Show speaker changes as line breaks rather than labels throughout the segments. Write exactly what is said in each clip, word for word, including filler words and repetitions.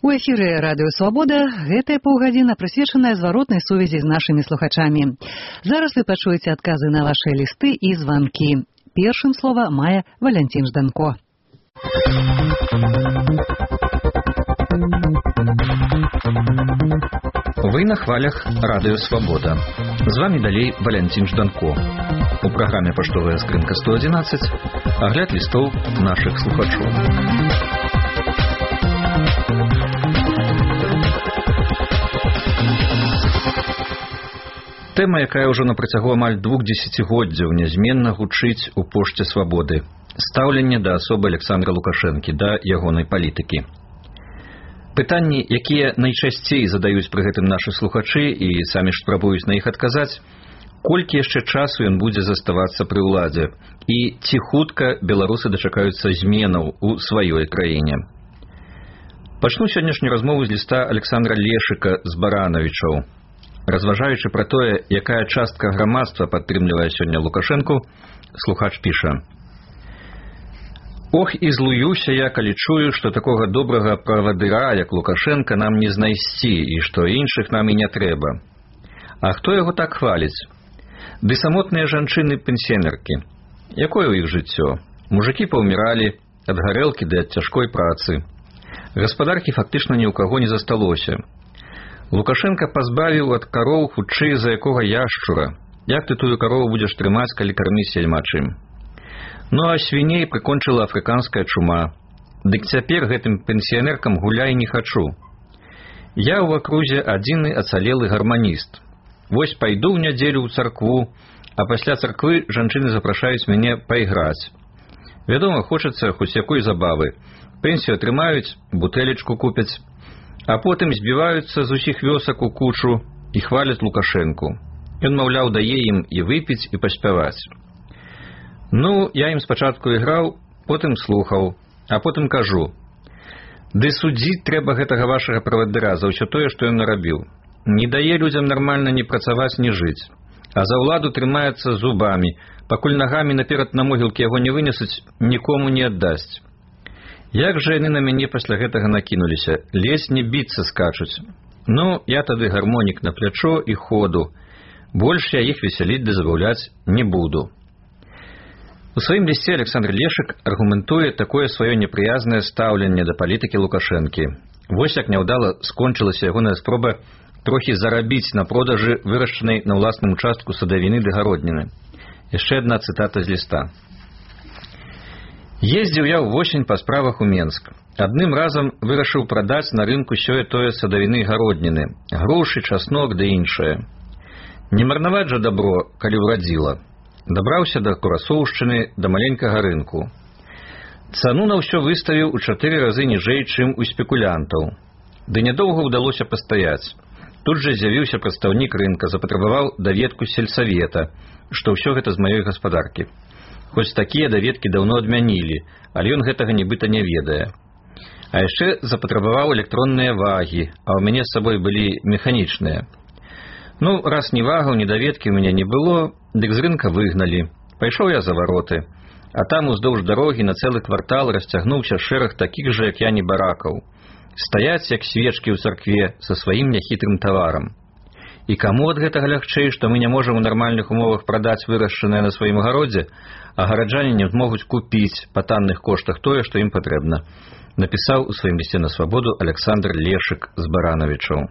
У эфіры радыё «Свабода» гэтая паўгадзіна прысвечаная зваротнай сувязі з нашымі слухачамі. Зараз вы пачуеце адказы на вашыя лісты і званкі. Першым слова мае Валянцін Жданко.
Вы на хвалях радыё «Свабода». З вами далей Валянцін Жданко. У праграме «Паштовая скрынка сто адзінаццаць» агляд лістоў нашых слухачоў. Тэма, якая ўжо на працягу амаль двух дзесяцігоддзяў нязменна гучыць у пошце «Свабоды». Стаўленне да асобы Александра Лукашэнкі, да ягонай палітыкі. Пытанні, якія найчасцей задаюць пры гэтым нашы слухачы і самі ж спрабуюць на іх адказаць, колькі яшчэ часу ён будзе заставацца пры ўладзе і ці хутка беларусы дачакаюцца зменаў у сваёй краіне. Пачну сённяшнюю размову з ліста Александра Лешыка з Баранавічаў. Разважаючы пра тое, якая частка грамадства падтрымлівае сёння Лукашэнку, слухач піша: «Ох, і злуюся я, калі чую, што такога добрага правадыра, як Лукашэнка, нам не знайсці, і што іншых нам і не трэба. А хто яго так хваліць? Ды самотныя жанчыны-пенсіянеркі. Якое ў іх жыццё? Мужыкі паўміралі ад гарэлкі ды ад цяжкой працы. Гаспадаркі фактычна ні ў каго не засталося. Лукашенко пазбавіў ад кароў хутчэй за якога яшчура. Як ты тую карову будзеш трымаць, калі карміць няма чым? Ну а свіней прыкончыла афрыканская чума. Дык цяпер гэтым пенсіянеркам гуляй не хачу. Я ў акрузе адзіны ацалелы гарманіст. Вось пайду ў нядзелю ў царкву, а пасля царквы жанчыны запрашаюць мяне пайграць. Вядома, хочацца хоць якой забавы. Пенсію атрымаюць, бутэлечку купяць, а потым збіваюцца з усіх вёсак у кучу і хваляць Лукашэнку. Ён, маўляў, дае ім і выпіць, і паспяваць. Ну, я ім спачатку іграў, потым слухаў, а потым кажу: ды судзіць трэба гэтага вашага правадыра за ўсё тое, што ён нарабіў. Не дае людзям нармальна ні працаваць, ні жыць. А за ўладу трымаецца зубамі, пакуль нагамі наперад на могілкі яго не вынесуць, нікому не аддасць. Як жа яны на мяне пасля гэтага накінуліся, лезь не біцца скачуць. Ну, я тады гармонік на плячо і ходу. Больш я іх весяліць ды забаўляць не буду». У сваім лісце Александр Лешык аргументуе такое сваё непрыязнае стаўленне да палітыкі Лукашэнкі. Вось як няўдала скончылася ягоная спроба трохі зарабіць на продажы вырашчанай на ўласным участку садавіны ды гародніны. Яшчэ адна цытата з ліста. «Ездзіў я ўвосень па справах у Менск. Адным разам вырашыў прадаць на рынку сёе-тое садавіны і гародніны, грушы, часнок ды іншае. Не марнаваць жа дабро, калі ўрадзіла. Дабраўся да Курасоўшчыны, да маленькага рынку. Цану на ўсё выставіў у чатыры разы ніжэй, чым у спекулянтаў. Ды нядоўга ўдалося пастаяць. Тут жа з'явіўся прадстаўнік рынка, запатрабаваў даведку з сельсавета, што ўсё гэта з маёй гаспадаркі. Хоць такія даведкі даўно адмянілі, але ён гэтага нібыта не ведае. А яшчэ запатрабаваў электронныя вагі, а ў мяне з сабой былі механічныя. Ну, раз ні вагаў, ні даведкі ў мяне не было, дык з рынка выгналі. Пайшоў я за вароты, а там уздоўж дарогі на цэлы квартал расцягнуўся шэраг такіх жа, як я, небаракаў. Стаяць, як свечкі ў царкве, са сваім няхітрым таварам. І каму ад гэтага лягчэй, што мы не можам у нармальных умовах прадаць вырашчанае на сваім гародзе, а гараджане не змогуць купіць па танных коштах тое, што ім патрэбна», напісаў у сваім лісце на свабоду Александр Лешык з Баранавічаў.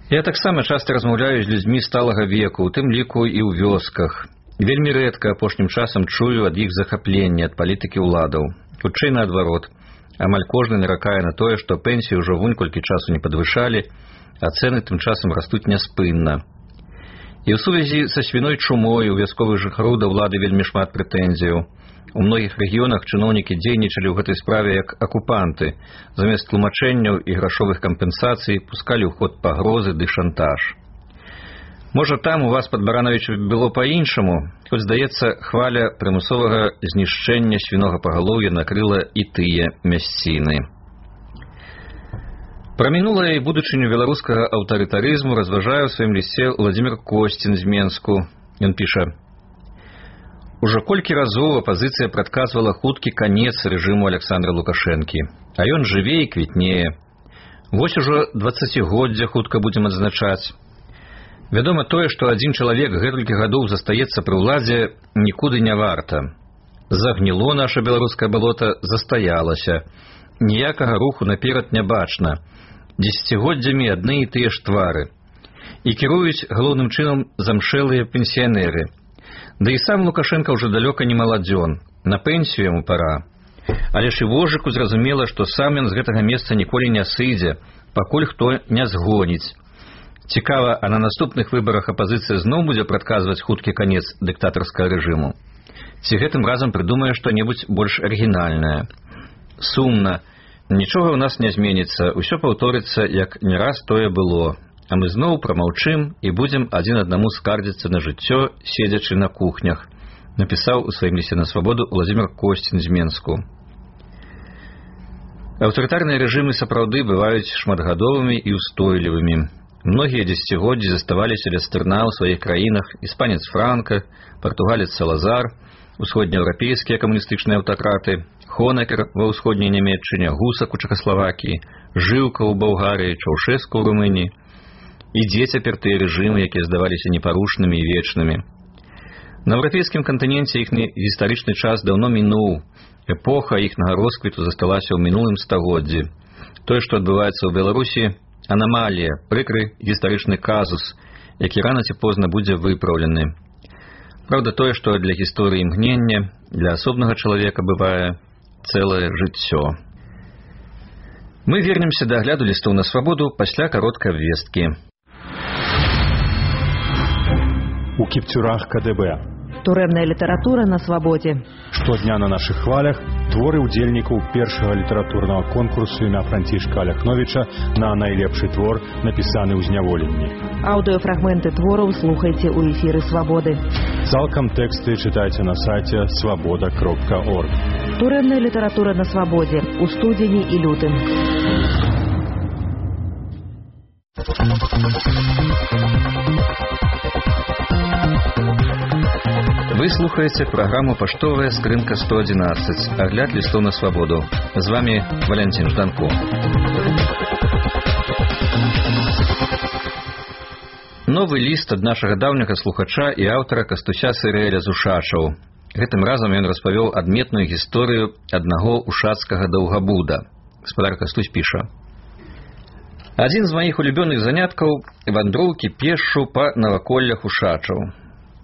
Я таксама часта размаўляю з людзьмі сталага веку, у тым ліку і ў вёсках. Вельмі рэдка апошнім часам чую ад іх захапленне ад палітыкі ўладаў. Хутчэй наадварот. Амаль кожны наракае на тое, што пенсіі ўжо вунь колькі часу не падвышалі, а цэны тым часам растуць няспынна. І ў сувязі са свіной чумой у вясковых жыхароў да ўлады вельмі шмат прэтэнзіяў. У многіх рэгіёнах чыноўнікі дзейнічалі ў гэтай справе як акупанты. Замест тлумачэнняў і грашовых кампенсацый пускалі ў ход пагрозы ды шантаж. Можа, там у вас пад Баранавічам было па-іншаму, хоць, здаецца, хваля прымусовага знішчэння свінога пагалоўя накрыла і тыя мясціны. Пра мінулае і будучыню беларускага аўтарытарызму разважае ў сваім лісце Владзімір Косцін з Менску. Ён піша: Ужо колькі разоў апазіцыя прадказвала хуткі канец рэжыму Александра Лукашэнкі, а ён жыве і квітнее. Вось ужо дваццацігоддзе хутка будзем адзначаць. Вядома тое, што адзін чалавек гэтулькі гадоў застаецца пры ўладзе, нікуды не варта. Загніло наша беларускае балота, застаялася. Ніякага руху наперад не бачна. Дзесяцігоддзямі адны і тыя ж твары. І кіруюць галоўным чынам замшэлыя пенсіянеры. Да і сам Лукашенко ўжо далёка не маладзён, на пенсію яму пара. Але ж і вожыку зразумела, што сам ён з гэтага месца ніколі не сыдзе, пакуль хто не згоніць. Цікава, а на наступных выбарах апазіцыя зноў будзе прадказваць хуткі канец дыктатарскага рэжыму? Ці гэтым разам прыдумае што-небудзь больш арыгінальнае? Сумна. Нічога ў нас не зменіцца, усё паўторыцца, як не раз тое было. А мы зноў прамаўчым і будзем адзін аднаму скардзіцца на жыццё, седзячы на кухнях, напісаў у сваім лісце на свабоду Владзімір Косцін з Менску. Аўтарытарныя рэжымы сапраўды бываюць шматгадовымі і ўстойлівымі. Многія дзесяцігоддзі заставаліся ля стырна ў сваіх краінах: іспанец Франка, партугалец Салазар, усходнееўрапейскія камуністычныя аўтакраты, Хонекер ва ўсходняй Нямецчыне, Гусак у Чэхаславакіі, Жыўка ў Балгарыі, Чаўшэску ў Румыніі. І дзе цяпер тыя рэжымы, якія здаваліся непарушнымі і вечнымі. На еўрапейскім кантыненце іхні гістарычны час даўно мінуў. Эпоха іхнага росквіту засталася ў мінулым стагоддзі. Тое, што адбываецца ў Беларусі, анамалія, прыкры гістарычны казус, які рана ці позна будзе выпраўлены. Праўда, тое, што для гісторыі імгнення, для асобнага чалавека бывае цэлае жыццё. Мы вернемся да агляду лістоў на свабоду пасля кароткай абвесткі.
У кіпцюрах ка дэ бэ.
Турэмная літаратура на свабодзе.
Штодня на нашых хвалях творы ўдзельнікаў першага літаратурнага конкурсу імя Францішка Аляхновіча на найлепшы твор, напісаны ў зняволенні.
Аўдыёфрагменты твораў слухайце ў эфіры свабоды.
Цалкам тэксты чытайце на сайце свабода кропка орг.
Турэмная літаратура на свабодзе у студзені і лютым.
Вы слухаеце праграму «Паштовая скрынка сто адзінаццаць», агляд лістоў на свабоду. З вами Валянцін Жданко. Новы ліст ад нашага даўняга слухача і аўтара Кастуся Сырэля з Ушачаў. Гэтым разам ён распавёў адметную гісторыю аднаго ушацкага даўгабуда. Гаспадар Кастусь піша: «Адзін з маіх улюбёных заняткаў – вандроўкі пешшу па наваколлях Ушачаў.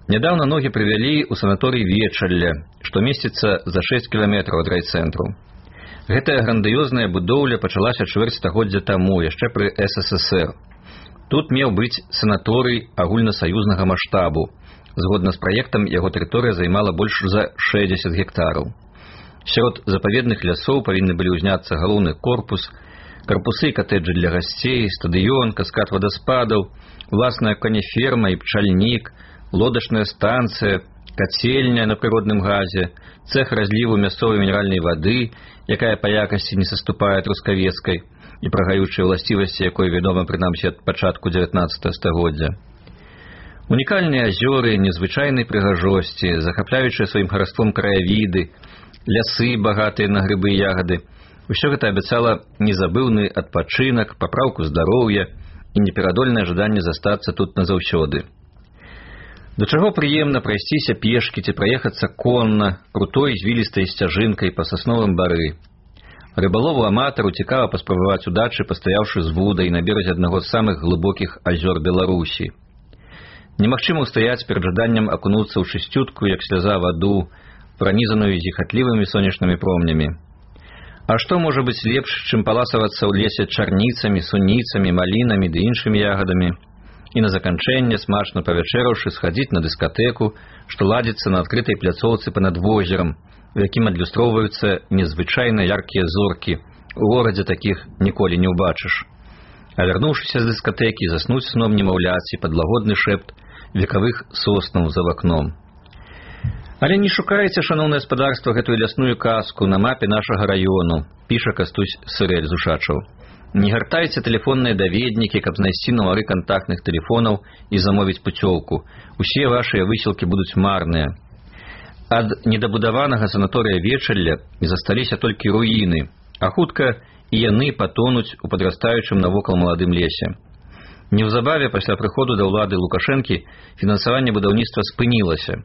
Нядаўна ногі прывялі ў санаторый Вечалля, што месціцца за шэсць кіламетраў ад райцэнтру. Гэтая грандыёзная будоўля пачалася чвэрць стагоддзя таму, яшчэ пры эс эс эс эр. Тут меў быць санаторый агульнасаюзнага маштабу. Згодна з праектам, яго тэрыторыя займала больш за шэсцьдзесят гектараў. Сярод запаведных лясоў павінны былі ўзняцца галоўны корпус, карпусы і катэджы для гасцей, стадыён, каскад вадаспадаў, уласная канеферма і пчальнік, лодачная станцыя, кацельня на прыродным газе, цэх разліву мясцовай мінеральнай вады, якая па якасці не саступае трускавецкай і пра гаючыя ўласцівасці, якой вядома прынамсі ад пачатку дзевятнаццатага стагоддзя. Унікальныя азёры незвычайнай прыгажосці, захапляючыя сваім хараством краявіды, лясы, багатыя на грыбы і ягады. Усё гэта абяцала незабыўны адпачынак, папраўку здароўя і неперадольнае жаданне застацца тут назаўсёды. Да чаго прыемна прайсціся пешкі ці праехацца конна, крутой звілістай сцяжынкай па сасновым бары. Рыбалову-аматару цікава паспрабаваць удачы, пастаяўшы з вудай на беразе аднаго з самых глыбокіх азёр Беларусі. Немагчыма ўстаяць перад жаданнем акунуцца ў чысцютку, як сляза, ваду, пранізаную зіхатлівымі сонечнымі промнямі. А што можа быць лепш, чым паласавацца ў лесе чарніцамі, суніцамі, малінамі ды іншымі ягадамі? І на заканчэнне, смачна павячэраўшы, схадзіць на дыскатэку, што ладзіцца на адкрытай пляцоўцы панад возерам, у якім адлюстроўваюцца незвычайна яркія зоркі. У горадзе такіх ніколі не ўбачыш. А вярнуўшыся з дыскатэкі, заснуць сном немаўляці пад лагодны шэпт векавых соснаў за вакном. Але не шукайце, шаноўнае гаспадарства, гэтую лясную казку на мапе нашага раёну, піша Кастусь Сырэль з Ушачаў. Не гартайце тэлефонныя даведнікі, каб знайсці нумары кантактных тэлефонаў і замовіць пуцёўку. Усе вашыя высілкі будуць марныя. ад недабудаванага санаторыя Вечалля засталіся толькі руіны, а хутка і яны патонуць у падрастаючым навокал маладым лесе. Неўзабаве пасля прыходу да ўлады Лукашэнкі фінансаванне будаўніцтва спынілася.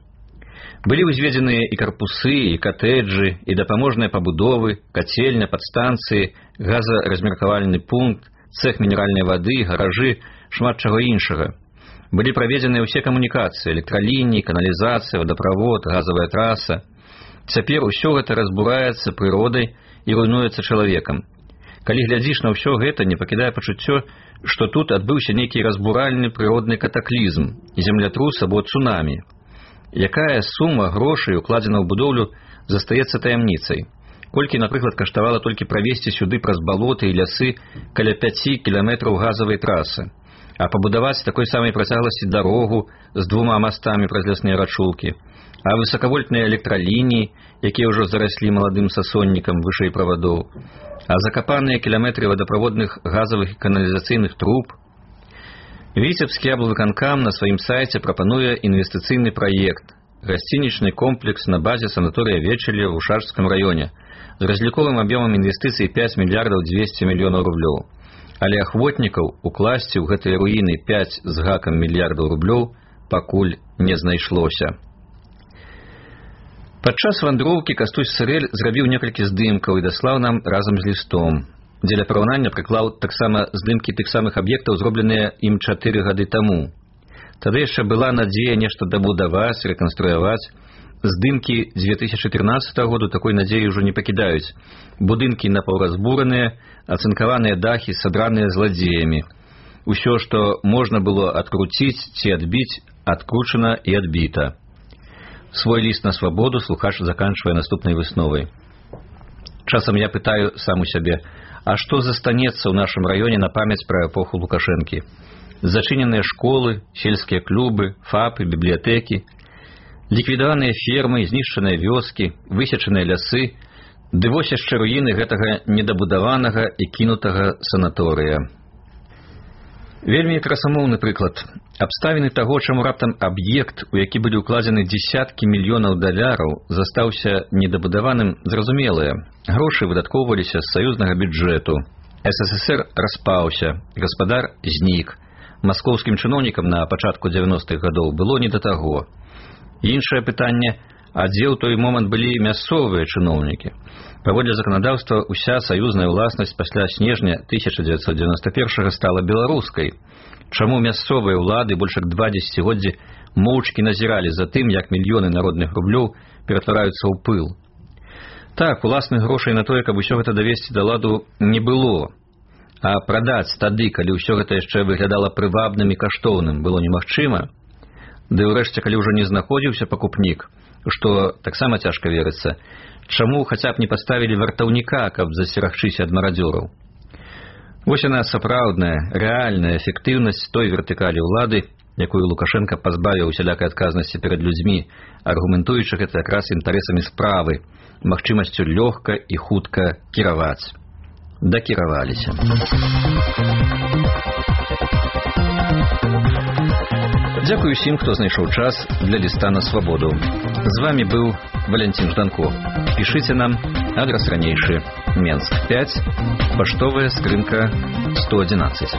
Былі ўзведзеныя і карпусы, і катэджы, і дапаможныя пабудовы, кацельня, падстанцыі, газаразмеркавальны пункт, цэх мінеральнай вады, гаражы, шмат чаго іншага. Былі праведзеныя ўсе камунікацыі, электралініі, каналізацыя, вадаправод, газавая траса. Цяпер усё гэта разбураецца прыродай і руйнуецца чалавекам. Калі глядзіш на ўсё гэта, не пакідае пачуццё, што тут адбыўся нейкі разбуральны прыродны катаклізм, землятрус або цунамі. Якая сума грошай укладзена ў будоўлю застаецца таямніцай. Колькі, напрыклад, каштавала толькі правесці сюды праз балоты і лясы каля пяці кіламетраў газавай трасы, а пабудаваць такой самай працягласці дарогу з двума мастамі праз лясныя рачулкі, а высакавольтныя электралініі, якія ўжо зараслі маладым сасоннікам вышэй правадоў, а закапаныя кіламетры вадаправодных газавых і каналізацыйных труб. Віцебскі аблвыканкам на сваім сайце прапануе інвестыцыйны праект гасцінічны комплекс на базе санаторыя Вечалля ў Ушачскім раёне з разліковым аб'ёмам інвестыцый пяць мільярдаў дзвесце мільёнаў рублёў. Але ахвотнікаў укласці ў гэтыя руіны пяць з гакам мільярдаў рублёў пакуль не знайшлося. Падчас вандроўкі Кастусь Сырэль зрабіў некалькі здымкаў і даслаў нам разам з лістом. Дзеля параўнання прыклаў таксама здымкі тых самых аб'ектаў, зробленыя ім чатыры гады таму. Тады яшчэ была надзея нешта дабудаваць, рэканструяваць. Здымкі дзве тысячы трынаццатага году такой надзеі ўжо не пакідаюць. Будынкі напаўразбураныя, ацынкаваныя дахі садраныя зладзеямі. Усё, што можна было адкруціць ці адбіць, адкручана і адбіта. Свой ліст на свабоду слухач заканчвае наступнай высновай. Часам я пытаю сам у сябе, а што застанецца ў нашым раёне на памяць пра эпоху Лукашэнкі? Зачыненыя школы, сельскія клубы, фапы, бібліятэкі, ліквідаваныя фермы, знішчаныя вёскі, высечаныя лясы, ды вось яшчэ руіны гэтага недабудаванага і кінутага санаторыя. Вельмі красамоўны прыклад. Абставіны таго, чаму раптам аб'ект, у які былі ўкладзены дзесяткі мільёнаў даляраў, застаўся недабудаваным, зразумелыя. Грошы выдаткоўваліся з саюзнага бюджэту. эс эс эс эр распаўся, гаспадар знік. Маскоўскім чыноўнікам на пачатку дзевяностых гадоў было не да таго. Іншае пытанне, а дзе ў той момант былі мясцовыя чыноўнікі? Паводле заканадаўства, уся саюзная ўласнасць пасля снежня тысяча дзевяцьсот дзевяноста першага стала беларускай. Чаму мясцовыя ўлады больш як два дзесяцігоддзі моўчкі назіралі за тым, як мільёны народных рублёў ператвараюцца ў пыл? Так, уласных грошай на тое, каб усё гэта давесці да ладу, не было. А прадаць тады, калі ўсё гэта яшчэ выглядала прывабным і каштоўным, было немагчыма. Ды ўрэшце, калі ўжо не знаходзіўся пакупнік, што таксама цяжка верыцца, чаму хаця б не паставілі вартаўніка, каб засцерагчыся ад марадзёраў? Вось яна сапраўдная, рэальная эфектыўнасць той вертыкалі ўлады, якую Лукашенко пазбавіў усялякай адказнасці перад людзьмі, аргументуючы гэта якраз інтарэсамі справы, магчымасцю лёгка і хутка кіраваць. Дакіраваліся. Дзякую усім, хто знайшоў час для ліста на свабоду. З вами быў Валянцін Жданко. Пішыце нам, адрес ранейшы, Менск пяць, паштовая скрынка сто адзінаццаць.